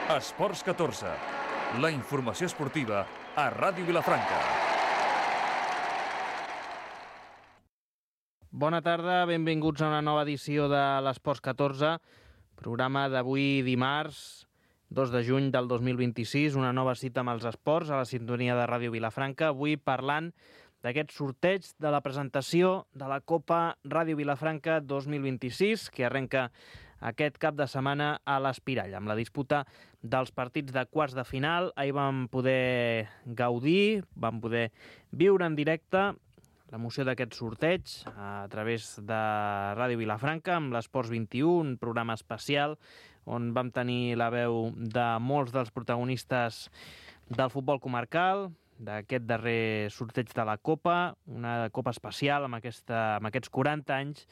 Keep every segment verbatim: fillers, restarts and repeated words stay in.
Esports catorze, la informació esportiva a Ràdio Vilafranca. Bona tarda, benvinguts a una nova edició de l'Esports catorze, programa d'avui dimarts, dos de juny del dos mil vint-i-sis, una nova cita amb els esports a la sintonia de Ràdio Vilafranca, avui parlant d'aquest sorteig de la presentació de la Copa Ràdio Vilafranca dos mil vint-i-sis, que arrenca aquest cap de setmana a l'Espirall, amb la disputa dels partits de quarts de final. Ahir vam poder gaudir, vam poder viure en directe l'emoció d'aquest sorteig a través de Ràdio Vilafranca amb l'Esports vint-i-u, un programa especial on vam tenir la veu de molts dels protagonistes del futbol comarcal, d'aquest darrer sorteig de la Copa, una Copa especial amb, aquesta, amb aquests quaranta anys,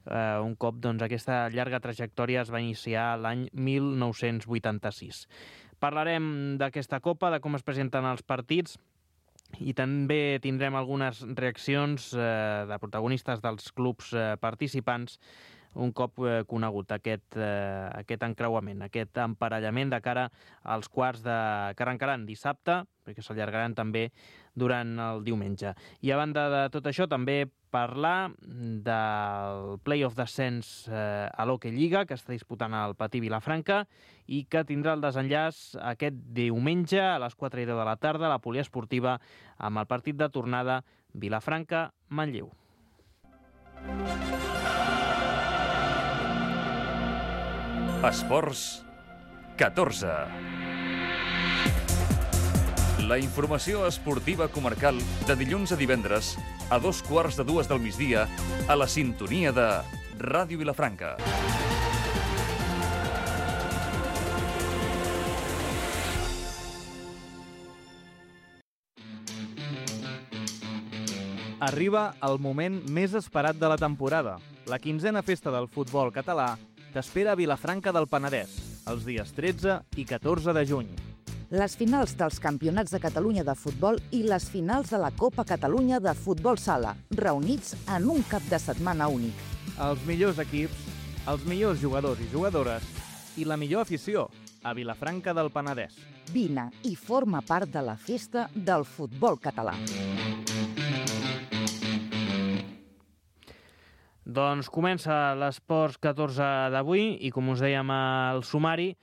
eh, un cop doncs, aquesta llarga trajectòria es va iniciar l'any mil nou-cents vuitanta-sis. Parlarem d'aquesta Copa, de com es presenten els partits, i també tindrem algunes reaccions eh, de protagonistes dels clubs eh, participants un cop eh, conegut aquest, eh, aquest encreuament, aquest emparellament de cara als quarts de... que arrencaran dissabte, perquè s'allargaran també durant el diumenge. I a banda de tot això, també parlar del play-off d'ascens eh, a l'Hockey Lliga, que està disputant el Patí Vilafranca, i que tindrà el desenllaç aquest diumenge a les quatre i deu de la tarda, a la poliesportiva, amb el partit de tornada Vilafranca-Manlleu. Esports catorze. La informació esportiva comarcal de dilluns a divendres a dos quarts de dues del migdia a la sintonia de Ràdio Vilafranca. Arriba el moment més esperat de la temporada. La quinzena festa del futbol català t'espera a Vilafranca del Penedès, els dies tretze i catorze de juny. Les finals dels Campionats de Catalunya de futbol i les finals de la Copa Catalunya de futbol sala, reunits en un cap de setmana únic. Els millors equips, els millors jugadors i jugadores i la millor afició a Vilafranca del Penedès. Vine i forma part de la festa del futbol català. Doncs comença l'Esports catorze d'avui i, com us dèiem al sumari,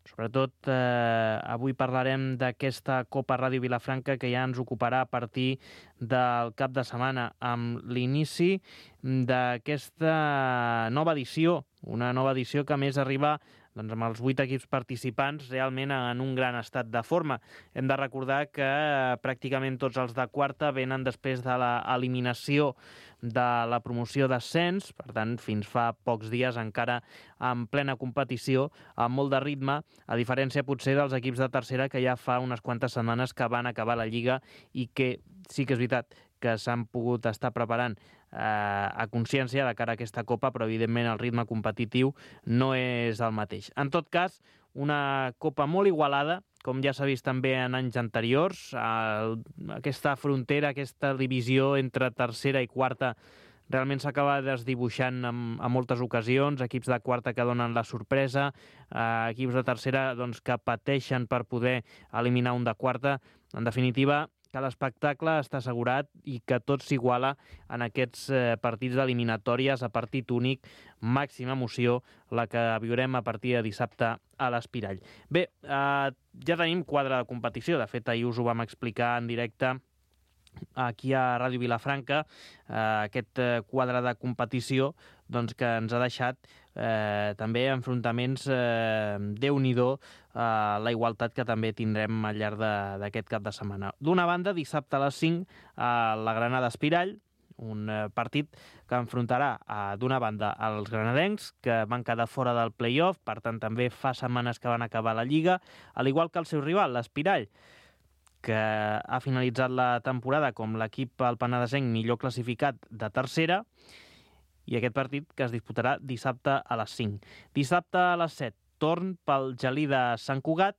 sobretot eh, avui parlarem d'aquesta Copa Ràdio Vilafranca que ja ens ocuparà a partir del cap de setmana amb l'inici d'aquesta nova edició, una nova edició que a més arriba doncs, amb els vuit equips participants realment en un gran estat de forma. Hem de recordar que eh, pràcticament tots els de quarta venen després de l'eliminació de la promoció d'ascens, per tant, fins fa pocs dies encara en plena competició, amb molt de ritme, a diferència potser dels equips de tercera que ja fa unes quantes setmanes que van acabar la Lliga i que sí que és veritat que s'han pogut estar preparant eh, a consciència de cara a aquesta Copa, però evidentment el ritme competitiu no és el mateix. En tot cas, una Copa molt igualada, com ja s'ha vist també en anys anteriors, eh, aquesta frontera, aquesta divisió entre tercera i quarta realment s'acaba desdibuixant en, en moltes ocasions, equips de quarta que donen la sorpresa, eh, equips de tercera doncs, que pateixen per poder eliminar un de quarta. En definitiva, que l'espectacle està assegurat i que tot s'iguala en aquests eh, partits d'eliminatòries a partit únic, màxima emoció, la que viurem a partir de dissabte a l'Espirall. Bé, eh, ja tenim quadre de competició, de fet ahir us ho vam explicar en directe aquí a Ràdio Vilafranca, eh, aquest eh, quadre de competició doncs, que ens ha deixat eh, també enfrontaments eh, Déu-n'hi-do eh, la igualtat que també tindrem al llarg d'aquest cap de setmana. D'una banda, dissabte a les cinc a la Granada Espirall, un eh, partit que enfrontarà eh, d'una banda els granadencs, que van quedar fora del play-off, per tant també fa setmanes que van acabar la Lliga, al igual que el seu rival, l'Espirall, que ha finalitzat la temporada com l'equip al penedesenc millor classificat de tercera, i aquest partit que es disputarà dissabte a les cinc. Dissabte a les set, torn pel Gelí de Sant Cugat,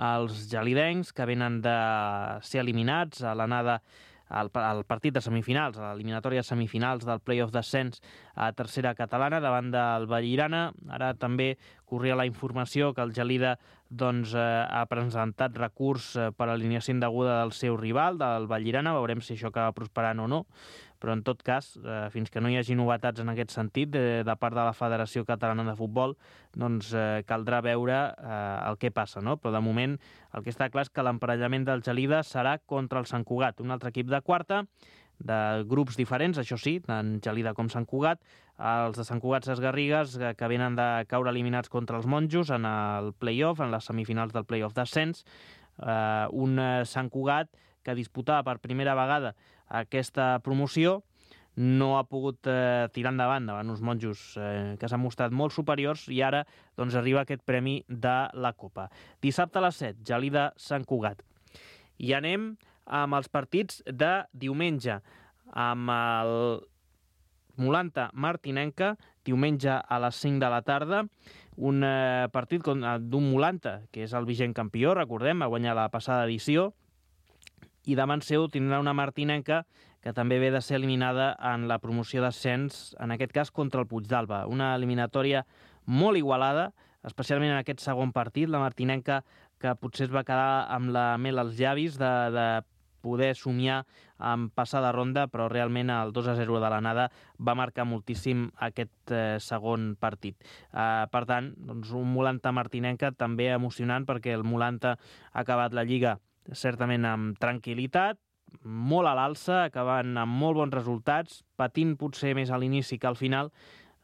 els gelidencs que venen de ser eliminats a l'anada el, el partit de semifinals, a l'eliminatòria de semifinals del play-off d'ascens a tercera catalana davant del Vallirana. Ara també corria la informació que el Gelida doncs, eh, ha presentat recurs eh, per alineació indeguda del seu rival, del Vallirana. Veurem si això acaba prosperant o no, però en tot cas, eh, fins que no hi hagi novetats en aquest sentit de, de part de la Federació Catalana de Futbol, doncs eh, caldrà veure eh, el que passa, no? Però de moment el que està clar és que l'emparellament del Gelida serà contra el Sant Cugat, un altre equip de quarta, de grups diferents, això sí, tant Gelida com Sant Cugat. Els de Sant Cugat Ses Garrigues, que venen de caure eliminats contra els monjos en el play-off, en les semifinals del play-off d'ascens. Eh, un Sant Cugat que disputava per primera vegada aquesta promoció, no ha pogut eh, tirar endavant davant uns monjos eh, que s'han mostrat molt superiors i ara doncs, arriba aquest premi de la Copa. Dissabte a les set, Gelida Sant Cugat. I anem amb els partits de diumenge, amb el Molanta Martinenca, diumenge a les cinc de la tarda, un eh, partit d'un Molanta, que és el vigent campió, recordem, va guanyar la passada edició, i davant seu tindrà una Martinenca que també ve de ser eliminada en la promoció d'ascens, en aquest cas contra el Puigdàlber. Una eliminatòria molt igualada, especialment en aquest segon partit, la Martinenca que potser es va quedar amb la mel als llavis de, de poder somiar amb passar de ronda, però realment el dos a zero de l'anada va marcar moltíssim aquest eh, segon partit. Eh, per tant, doncs un Molanta Martinenca també emocionant, perquè el Molanta ha acabat la Lliga certament amb tranquil·litat, molt a l'alça, acabant amb molt bons resultats, patint potser més a l'inici que al final,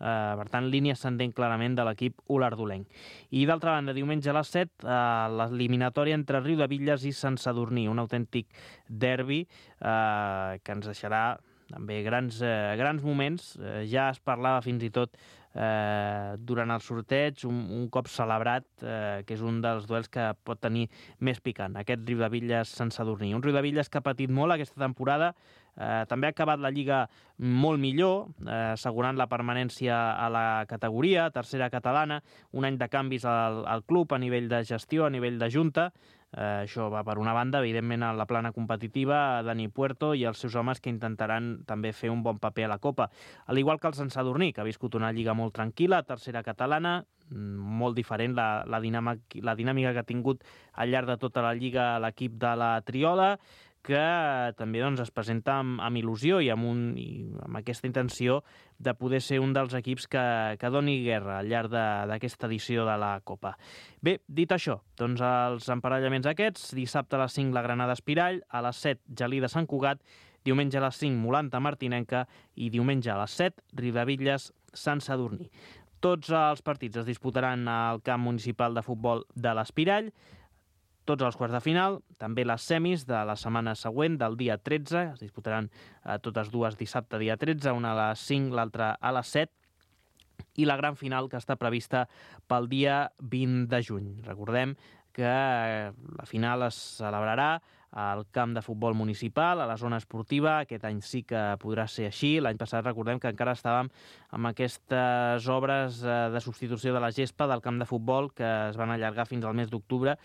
eh, per tant, línia ascendent clarament de l'equip olardolenc. I d'altra banda, diumenge a les set, eh, l'eliminatòria entre Riudebitlles i Sant Sadurní, un autèntic derbi eh, que ens deixarà també grans, eh, grans moments. Eh, ja es parlava fins i tot eh, durant el sorteig, un, un cop celebrat, eh, que és un dels duels que pot tenir més picant, aquest Riudebitlles-Sant Sadurní. Un Riudebitlles que ha patit molt aquesta temporada, eh, també ha acabat la Lliga molt millor, eh, assegurant la permanència a la categoria, tercera catalana, un any de canvis al, al club a nivell de gestió, a nivell de junta. Eh, això va per una banda, evidentment a la plana competitiva, Dani Puerto i els seus homes que intentaran també fer un bon paper a la Copa. Al igual que el Sant Sadurní, que ha viscut una lliga molt tranquil·la, tercera catalana, molt diferent la, la, dinàmica, la dinàmica que ha tingut al llarg de tota la lliga l'equip de la Triola, que també doncs, es presenta amb, amb il·lusió i amb, un, i amb aquesta intenció de poder ser un dels equips que, que doni guerra al llarg d'aquesta edició de la Copa. Bé, dit això, doncs els emparellaments aquests, dissabte a les cinc la Granada Espirall, a les set Gelida Sant Cugat, diumenge a les cinc Molanta Martinenca i diumenge a les set Riudebitlles Sant Sadurní. Tots els partits es disputaran al camp municipal de futbol de l'Espirall, tots els quarts de final, també les semis de la setmana següent, del dia tretze, es disputaran eh, totes dues dissabte dia tretze, una a les cinc, l'altra a les set, i la gran final que està prevista pel dia vint de juny. Recordem que eh, la final es celebrarà al camp de futbol municipal, a la zona esportiva. Aquest any sí que podrà ser així. L'any passat recordem que encara estàvem amb aquestes obres de substitució de la gespa del camp de futbol que es van allargar fins al mes d'octubre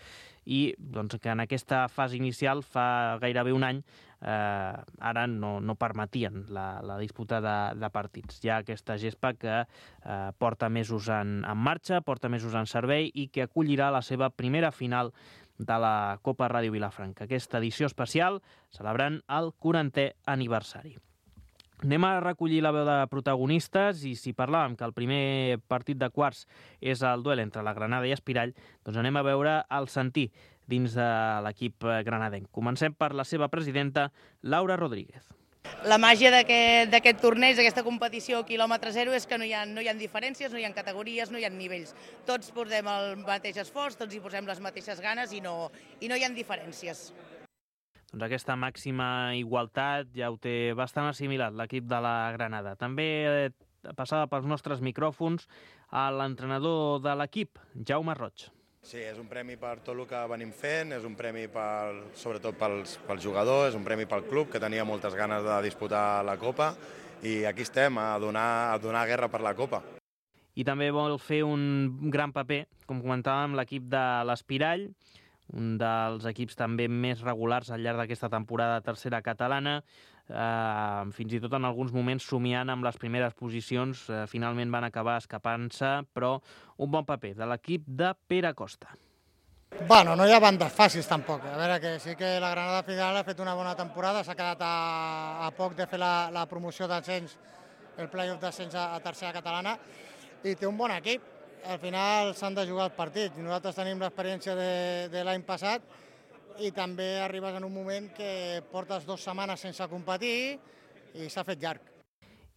i doncs, que en aquesta fase inicial fa gairebé un any eh, ara no, no permetien la, la disputa de, de partits. Hi ha aquesta gespa que eh, porta mesos en, en marxa, porta mesos en servei i que acollirà la seva primera final de la Copa Ràdio Vilafranca. Aquesta edició especial celebrant el quarantè aniversari. Anem a recollir la veu de protagonistes i si parlàvem que el primer partit de quarts és el duel entre la Granada i Espirall, doncs anem a veure el sentir dins de l'equip granadenc. Comencem per la seva presidenta, Laura Rodríguez. La màgia d'aquest torneig, d'aquesta competició quilòmetre zero, és que no hi ha, no hi ha diferències, no hi ha categories, no hi ha nivells. Tots posem el mateix esforç, tots hi posem les mateixes ganes i no, i no hi ha diferències. Doncs aquesta màxima igualtat ja ho té bastant assimilat l'equip de la Granada. També passava pels nostres micròfons a l'entrenador de l'equip, Jaume Roig. Sí, és un premi per tot el que venim fent, és un premi per, sobretot pels, pels jugadors, és un premi pel club, que tenia moltes ganes de disputar la Copa, i aquí estem, a donar, a donar guerra per la Copa. I també vol fer un gran paper, com comentàvem, l'equip de l'Espirall, un dels equips també més regulars al llarg d'aquesta temporada tercera catalana, eh, fins i tot en alguns moments somiant amb les primeres posicions, eh, finalment van acabar escapant-se, però un bon paper de l'equip de Pere Costa. Bueno, no hi ha bandes fàcils tampoc. A veure, que sí que la Granada final ha fet una bona temporada, s'ha quedat a, a poc de fer la, la promoció d'ascens, el play-off d'ascens a, a tercera catalana, i té un bon equip. Al final s'han de jugar els partits. Nosaltres tenim l'experiència de, de l'any passat i també arribes en un moment que portes dues setmanes sense competir i s'ha fet llarg.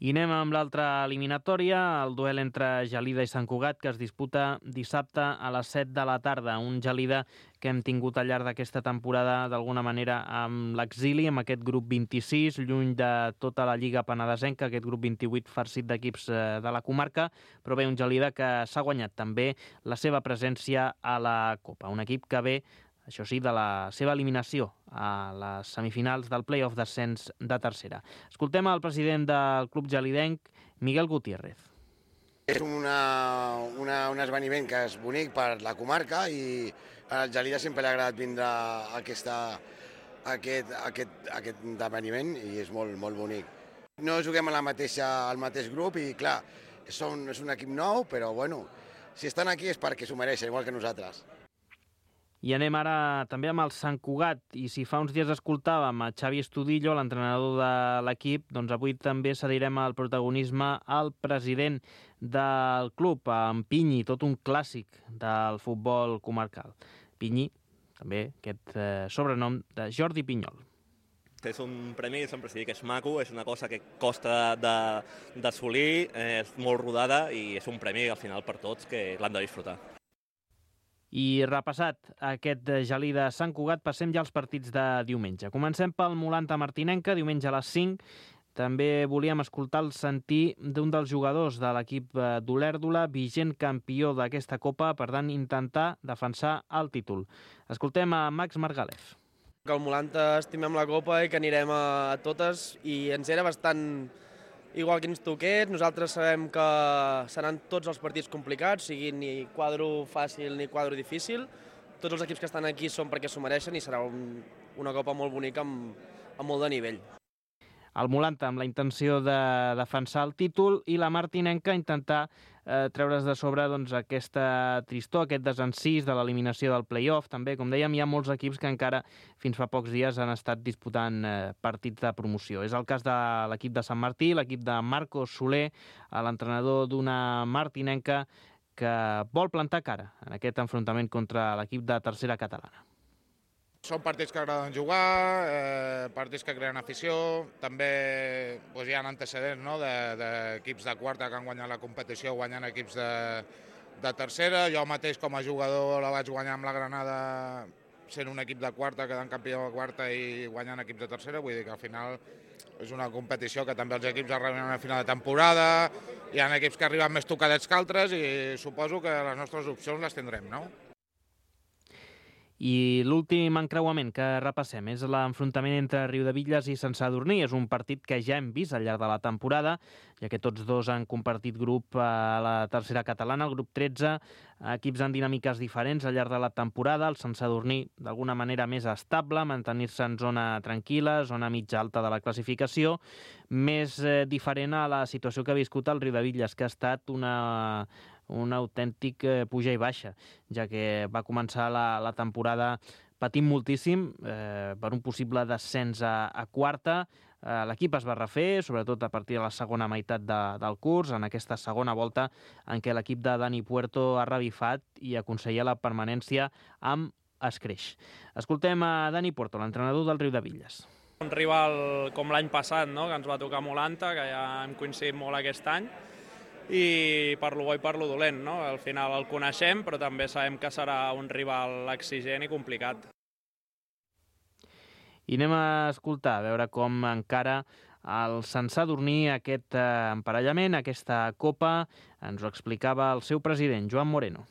I anem amb l'altra eliminatòria, el duel entre Gelida i Sant Cugat, que es disputa dissabte a les set de la tarda. Un Gelida que hem tingut al llarg d'aquesta temporada d'alguna manera amb l'exili, amb aquest grup vint-i-sis, lluny de tota la Lliga Penedesenca, aquest grup vint-i-vuit farcit d'equips de la comarca, però bé, un Gelida que s'ha guanyat també la seva presència a la Copa. Un equip que ve, això sí, de la seva eliminació a les semifinals del play-off d'ascens de tercera. Escoltem el president del club gelidenc, Miguel Gutiérrez. És una, una, un esdeveniment que és bonic per la comarca i al Gelida sempre li ha agradat vindre a aquesta, a aquest, a aquest, a aquest esdeveniment i és molt, molt bonic. No juguem a la mateixa, al mateix grup i clar, són, és un equip nou, però bueno, si estan aquí és perquè s'ho mereixen, igual que nosaltres. I anem ara també amb el Sant Cugat, i si fa uns dies escoltàvem a Xavi Estudillo, l'entrenador de l'equip, doncs avui també cedirem el protagonisme al president del club, en Pinyi, tot un clàssic del futbol comarcal. Pinyi, també aquest eh, sobrenom de Jordi Pinyol. És un premi, sempre s'ha dit que és maco, és una cosa que costa d'assolir, és molt rodada i és un premi al final per tots que l'han de disfrutar. I repassat aquest Gelida Sant Cugat, passem ja als partits de diumenge. Comencem pel Molanta Martinenca, diumenge a les cinc. També volíem escoltar el sentir d'un dels jugadors de l'equip d'Olèrdola, vigent campió d'aquesta Copa, per tant intentar defensar el títol. Escoltem a Max Margalef. Que el Molanta estimem la Copa i que anirem a totes i ens era bastant igual que ens toqués. Nosaltres sabem que seran tots els partits complicats, sigui ni quadro fàcil ni quadro difícil. Tots els equips que estan aquí són perquè s'ho mereixen i serà un, una Copa molt bonica amb, amb molt de nivell. El Molanta amb la intenció de defensar el títol i la Martinenca intentar eh, treure's de sobre doncs, aquesta tristor, aquest desencís de l'eliminació del play-off. També, com dèiem, hi ha molts equips que encara fins fa pocs dies han estat disputant eh, partits de promoció. És el cas de l'equip de Sant Martí, l'equip de Marcos Soler, l'entrenador d'una Martinenca que vol plantar cara en aquest enfrontament contra l'equip de tercera catalana. Són partits que agraden jugar, eh, partits que creen afició, també doncs, hi ha antecedents no? d'equips de, de quarta que han guanyat la competició guanyant equips de, de tercera. Jo mateix com a jugador la vaig guanyar amb la Granada sent un equip de quarta, quedant campió de quarta i guanyant equips de tercera, vull dir que al final és una competició que també els equips arriben a final de temporada, hi ha equips que arriben més tocadets que altres i suposo que les nostres opcions les tindrem, no? I l'últim encreuament que repassem és l'enfrontament entre Riudebitlles i Sant Sadurní. És un partit que ja hem vist al llarg de la temporada, ja que tots dos han compartit grup a la tercera catalana, el grup tretze, equips en dinàmiques diferents al llarg de la temporada. El Sant Sadurní, d'alguna manera, més estable, mantenir-se en zona tranquil·la, zona mitja alta de la classificació, més eh, diferent a la situació que ha viscut el Riudebitlles, que ha estat una... un autèntic eh, puja i baixa, ja que va començar la, la temporada patint moltíssim eh, per un possible descens a, a quarta. Eh, L'equip es va refer, sobretot a partir de la segona meitat de, del curs, en aquesta segona volta en què l'equip de Dani Puerto ha revifat i aconseguia la permanència amb escreix. Escoltem a Dani Puerto, l'entrenador del Riudebitlles. Un rival com l'any passat, no? Que ens va tocar Molanta, que ja hem coincidit molt aquest any, i per lo bo i per lo dolent, no? Al final el coneixem, però també sabem que serà un rival exigent i complicat. I anem a escoltar, a veure com encara el Sant Sadurní aquest eh, emparellament, aquesta Copa. Ens ho explicava el seu president, Joan Moreno.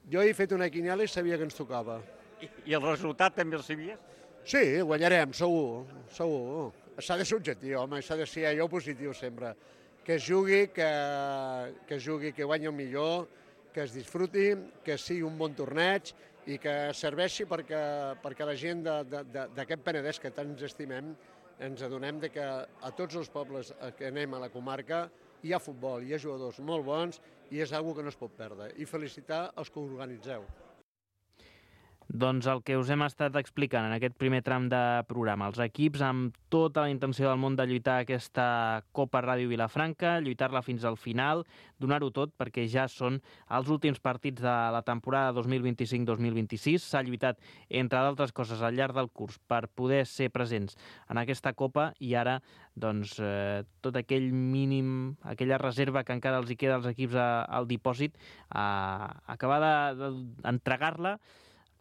Jo he fet una quiniela i sabia que ens tocava. I, i el resultat també el sabies? Sí, guanyarem, segur, segur. S'ha de ser objectiu, home, s'ha de ser allò positiu sempre. Que es jugui, que, que es jugui, que guanyi el millor, que es disfruti, que sigui un bon torneig i que serveixi perquè, perquè la gent d'aquest Penedès que tant ens estimem ens adonem de que a tots els pobles que anem a la comarca hi ha futbol, hi ha jugadors molt bons i és una cosa que no es pot perdre. I felicitar els que ho organitzeu. Doncs el que us hem estat explicant en aquest primer tram de programa. Els equips amb tota la intenció del món de lluitar aquesta Copa Ràdio Vilafranca, lluitar-la fins al final, donar-ho tot perquè ja són els últims partits de la temporada dos mil vint-i-cinc dos mil vint-i-sis. S'ha lluitat, entre d'altres coses, al llarg del curs per poder ser presents en aquesta Copa i ara doncs, eh, tot aquell mínim, aquella reserva que encara els hi queda als equips a, al dipòsit, a acabar d'entregar-la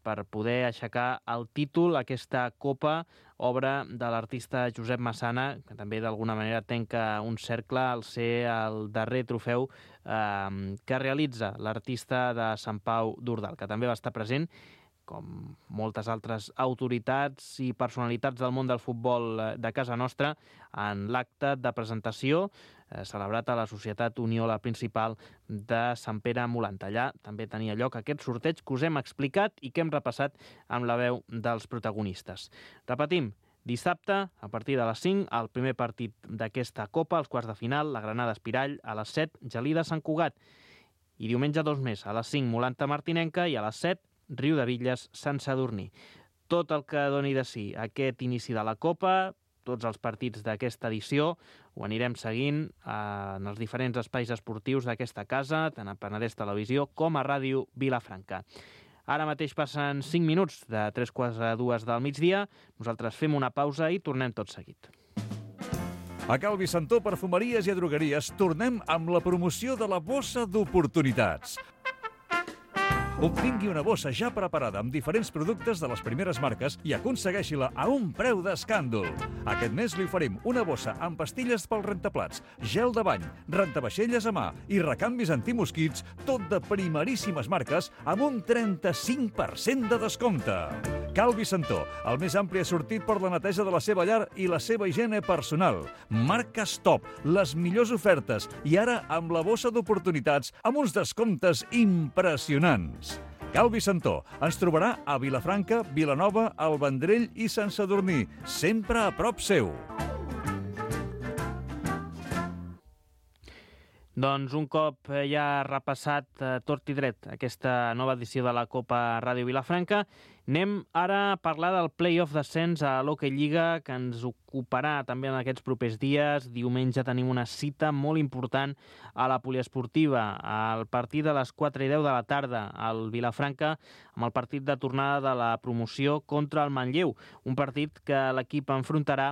per poder aixecar el títol, aquesta Copa, obra de l'artista Josep Massana, que també d'alguna manera tanca un cercle al ser el darrer trofeu eh, que realitza l'artista de Sant Pau d'Urdal, que també va estar present, com moltes altres autoritats i personalitats del món del futbol de casa nostra, en l'acte de presentació eh, celebrat a la Societat Unió, la principal de Sant Pere Molant. Allà també tenia lloc aquest sorteig que us hem explicat i que hem repassat amb la veu dels protagonistes. Repetim, dissabte, a partir de les cinc, el primer partit d'aquesta Copa, els quarts de final, la Granada Espirall, a les set, Gelida Sant Cugat. I diumenge dos més, a les cinc, Molanta Martinenca, i a les set, Riu de Villes, Sant Sadurní. Tot el que doni de si aquest inici de la Copa, tots els partits d'aquesta edició, ho anirem seguint en els diferents espais esportius d'aquesta casa, tant a Penedès Televisió com a Ràdio Vilafranca. Ara mateix passen cinc minuts de tres quarts a dues del migdia. Nosaltres fem una pausa i tornem tot seguit. A Calvi Santó Perfumeries i Drogueries tornem amb la promoció de la bossa d'oportunitats. Obtingui una bossa ja preparada amb diferents productes de les primeres marques i aconsegueixi-la a un preu d'escàndol. Aquest mes li oferim una bossa amb pastilles pel rentaplats, gel de bany, rentavaixelles a mà i recanvis antimosquits, tot de primeríssimes marques amb un trenta-cinc per cent de descompte. Calvi Santó, el més ampli assortit per la neteja de la seva llar i la seva higiene personal. Marques top, les millors ofertes i ara amb la bossa d'oportunitats amb uns descomptes impressionants. Calvi Santó ens trobarà a Vilafranca, Vilanova, el Vendrell i Sant Sadurní, sempre a prop seu. Doncs un cop ja repassat eh, tot i dret aquesta nova edició de la Copa Ràdio Vilafranca, anem ara a parlar del play-off d'ascens a l'Hockey Lliga, que ens ocuparà també en aquests propers dies. Diumenge tenim una cita molt important a la poliesportiva, al partit de les quatre i deu de la tarda al Vilafranca, amb el partit de tornada de la promoció contra el Manlleu, un partit que l'equip enfrontarà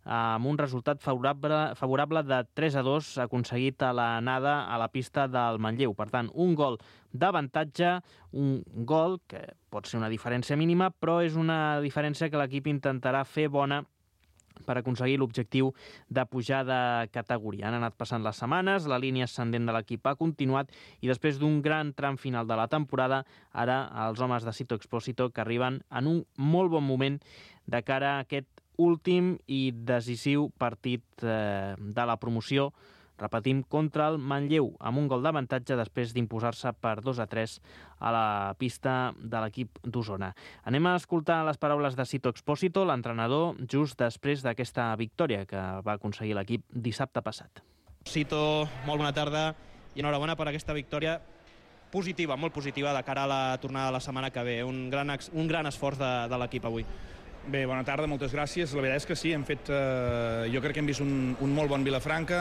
amb un resultat favorable, favorable de tres a dos aconseguit a l'anada a la pista del Manlleu. Per tant, un gol d'avantatge, un gol que pot ser una diferència mínima, però és una diferència que l'equip intentarà fer bona per aconseguir l'objectiu de pujar de categoria. Han anat passant les setmanes, la línia ascendent de l'equip ha continuat i després d'un gran tram final de la temporada, ara els homes de Sito Expósito que arriben en un molt bon moment de cara a aquest últim i decisiu partit eh, de la promoció, repetim, contra el Manlleu, amb un gol d'avantatge després d'imposar-se per dos a tres a la pista de l'equip d'Osona. Anem a escoltar les paraules de Sito Expósito, l'entrenador, just després d'aquesta victòria que va aconseguir l'equip dissabte passat. Sito, molt bona tarda i enhorabona per aquesta victòria positiva, molt positiva, de cara a la tornada de la setmana que ve. Un gran, un gran esforç de, de l'equip avui. Bé, bona tarda, moltes gràcies. La veritat és que sí, hem fet, eh, jo crec que hem vist un, un molt bon Vilafranca.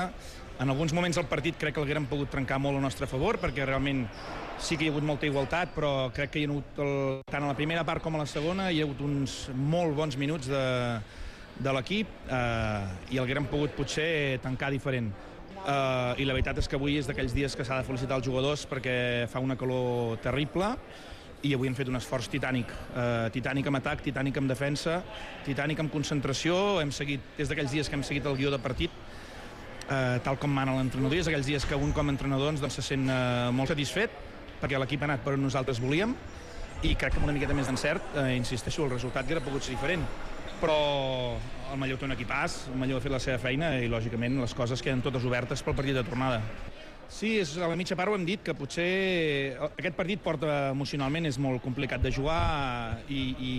En alguns moments del partit crec que l'haguérem pogut trencar molt a nostre favor, perquè realment sí que hi ha hagut molta igualtat, però crec que hi ha hagut, el, tant a la primera part com a la segona, hi ha hagut uns molt bons minuts de, de l'equip eh, i l'haguérem pogut potser tancar diferent. Eh, I la veritat és que avui és d'aquells dies que s'ha de felicitar els jugadors perquè fa una calor terrible, i avui hem fet un esforç titànic, eh, titànic en atac, titànic en defensa, titànic en concentració. Hem seguit, des d'aquells dies que hem seguit el guió de partit, eh, tal com mana l'entrenador, és aquells dies que un com a entrenador doncs, se sent eh, molt satisfet, perquè l'equip ha anat per on nosaltres volíem, i crec que amb una miqueta més d'encert, eh, insisteixo, el resultat hauria pogut ser diferent. Però el Manlleu té un equipàs, el Manlleu ha fet la seva feina i, lògicament, les coses queden totes obertes pel partit de tornada. Sí, és, a la mitja part ho hem dit, que potser aquest partit porta emocionalment, és molt complicat de jugar i, i,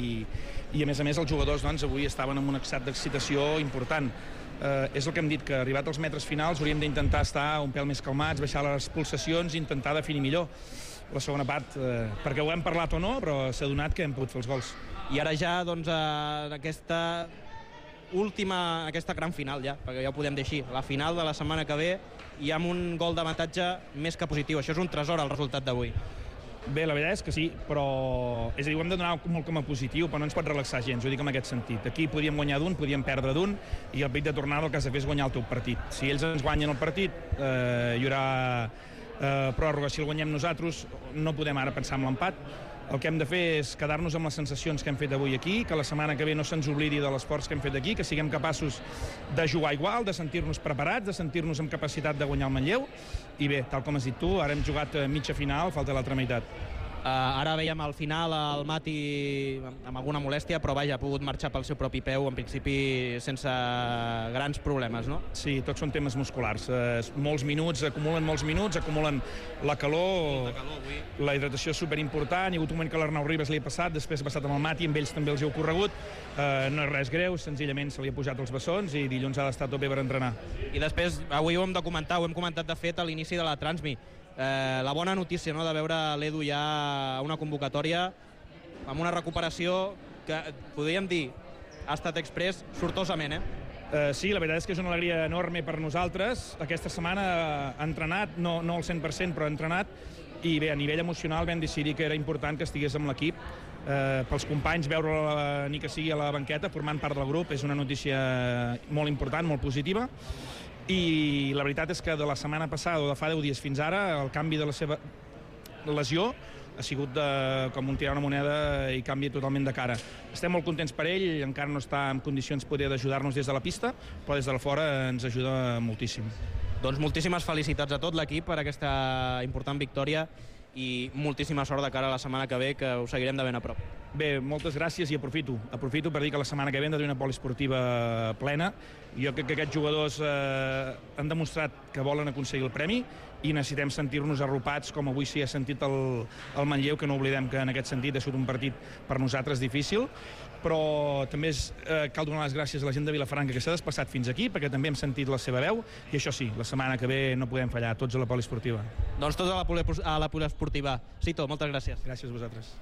i a més a més els jugadors doncs, avui estaven en un estat d'excitació important. Eh, és el que hem dit, que arribat als metres finals hauríem d'intentar estar un pèl més calmats, baixar les pulsacions i intentar definir millor la segona part, eh, perquè ho hem parlat o no, però s'ha donat que hem pogut fer els gols. I ara ja, doncs, en aquesta última, aquesta gran final ja, perquè ja ho podem dir així, la final de la setmana que ve, i amb un gol d'avantatge més que positiu. Això és un tresor, el resultat d'avui. Bé, la veritat és que sí, però és a dir, ho hem de donar molt com a positiu, però no ens pot relaxar gens, ho dic en aquest sentit. Aquí podíem guanyar d'un, podíem perdre d'un, i el pic de tornada el que has de fer és guanyar el teu partit. Si ells ens guanyen el partit, eh, hi haurà eh, pròrroga. Si el guanyem nosaltres, no podem ara pensar en l'empat. El que hem de fer és quedar-nos amb les sensacions que hem fet avui aquí, que la setmana que ve no se'ns oblidi de l'esforç que hem fet aquí, que siguem capaços de jugar igual, de sentir-nos preparats, de sentir-nos amb capacitat de guanyar el Manlleu. I bé, tal com has dit tu, ara hem jugat mitja final, falta l'altra meitat. Uh, ara veiem al final el Mati amb alguna molèstia, però vaja, ha pogut marxar pel seu propi peu, en principi sense grans problemes, no? Sí, tots són temes musculars. Uh, molts minuts, acumulen molts minuts, acumulen la calor, calor la hidratació és superimportant. Hi ha hagut un moment que l'Arnau Ribas li ha passat, després ha passat amb el Mati, amb ells també els hi ha ocorregut. Uh, no és res greu, senzillament se li ha pujat els bessons i dilluns ha d'estar tot bé per entrenar. I després, avui ho hem de comentar, ho hem comentat de fet a l'inici de la Transmi. Eh, la bona notícia, no?, de veure l'Edu ja a una convocatòria amb una recuperació que, podríem dir, ha estat express sortosament, eh? Uh, sí, la veritat és que és una alegria enorme per nosaltres. Aquesta setmana ha entrenat, no, no al cent per cent, però ha entrenat, i bé, a nivell emocional vam decidir que era important que estigués amb l'equip. Uh, pels companys, veure-la ni que sigui a la banqueta, formant part del grup, és una notícia molt important, molt positiva. I la veritat és que de la setmana passada o de fa deu dies fins ara el canvi de la seva lesió ha sigut de, com un tirar una moneda i canvia totalment de cara. Estem molt contents per ell, encara no està en condicions poder d'ajudar-nos des de la pista, però des de la fora ens ajuda moltíssim. Doncs moltíssimes felicitats a tot l'equip per aquesta important victòria i moltíssima sort de cara a la setmana que ve, que ho seguirem de ben a prop. Bé, moltes gràcies i aprofito. Aprofito per dir que la setmana que ve hem de tenir una poliesportiva plena. Jo crec que aquests jugadors eh, han demostrat que volen aconseguir el premi i necessitem sentir-nos arropats, com avui sí ha sentit el, el Manlleu, que no oblidem que en aquest sentit ha sigut un partit per nosaltres difícil, però també és, eh, cal donar les gràcies a la gent de Vilafranca que s'ha desplaçat fins aquí, perquè també hem sentit la seva veu, i això sí, la setmana que ve no podem fallar, tots a la poliesportiva. Doncs tots a la, poli a la poliesportiva. Cito, moltes gràcies. Gràcies a vosaltres.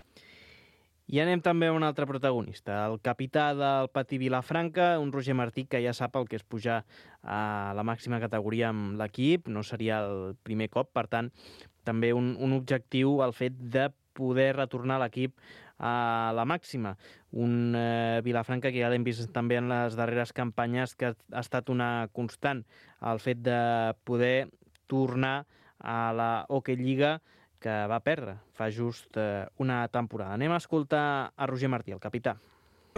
I anem també a un altre protagonista, el capità del Patí Vilafranca, un Roger Martí que ja sap el que és pujar a la màxima categoria amb l'equip, no seria el primer cop, per tant, també un, un objectiu el fet de poder retornar l'equip a la màxima. Un eh, Vilafranca que ja l'hem vist també en les darreres campanyes, que ha estat una constant, el fet de poder tornar a la Hockey Lliga, que va perdre fa just eh, una temporada. Anem a escoltar a Roger Martí, el capità.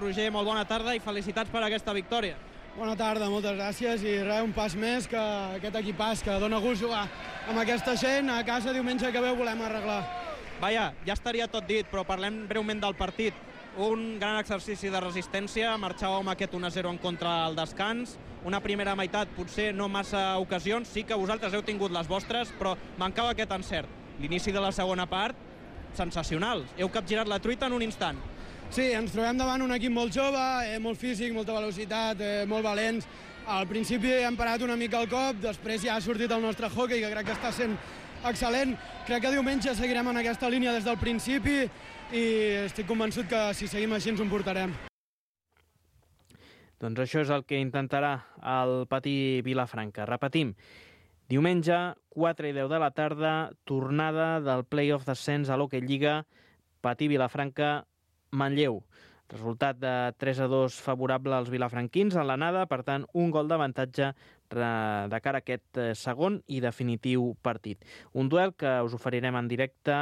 Roger, molt bona tarda i felicitats per aquesta victòria. Bona tarda, moltes gràcies i res, un pas més que aquest equipàs que dona gust jugar amb aquesta gent. A casa diumenge que ve ho volem arreglar. Vaja, ja estaria tot dit, però parlem breument del partit. Un gran exercici de resistència, marxàveu amb aquest un a zero en contra al descans, una primera meitat potser no massa ocasions, sí que vosaltres heu tingut les vostres, però mancava aquest encert. L'inici de la segona part, sensacional. Heu capgirat la truita en un instant. Sí, ens trobem davant un equip molt jove, eh, molt físic, molta velocitat, eh, molt valents. Al principi hem parat una mica el cop, després ja ha sortit el nostre hockey, que crec que està sent excel·lent. Crec que diumenge seguirem en aquesta línia des del principi i estic convençut que si seguim així ens ho portarem. Doncs això és el que intentarà el Patí Vilafranca. Repetim, diumenge, quatre i deu de la tarda, tornada del play-off d'ascens a l'Hockey Lliga, Patí Vilafranca, Manlleu. Resultat de tres a dos favorable als vilafranquins en l'anada, per tant, un gol d'avantatge de cara a aquest segon i definitiu partit. Un duel que us oferirem en directe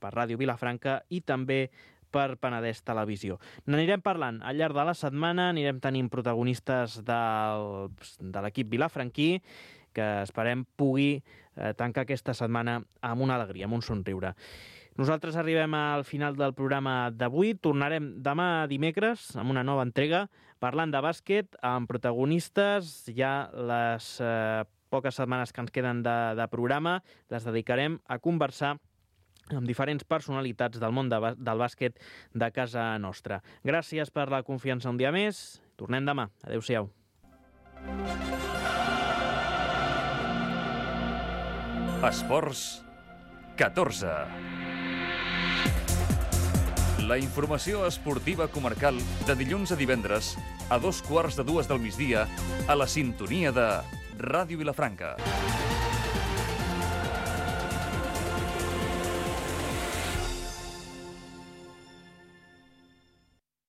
per Ràdio Vilafranca i també per Penedès Televisió. N'anirem parlant al llarg de la setmana, anirem tenint protagonistes del, de l'equip vilafranquí, que esperem pugui eh, tancar aquesta setmana amb una alegria, amb un somriure. Nosaltres arribem al final del programa d'avui. Tornarem demà dimecres amb una nova entrega parlant de bàsquet amb protagonistes ja les eh, poques setmanes que ens queden de, de programa les dedicarem a conversar amb diferents personalitats del món de, del bàsquet de casa nostra. Gràcies per la confiança un dia més. Tornem demà. Adéu-siau. Esports catorze. La informació esportiva comarcal de dilluns a divendres a dos quarts de dues del migdia a la sintonia de Ràdio Vilafranca.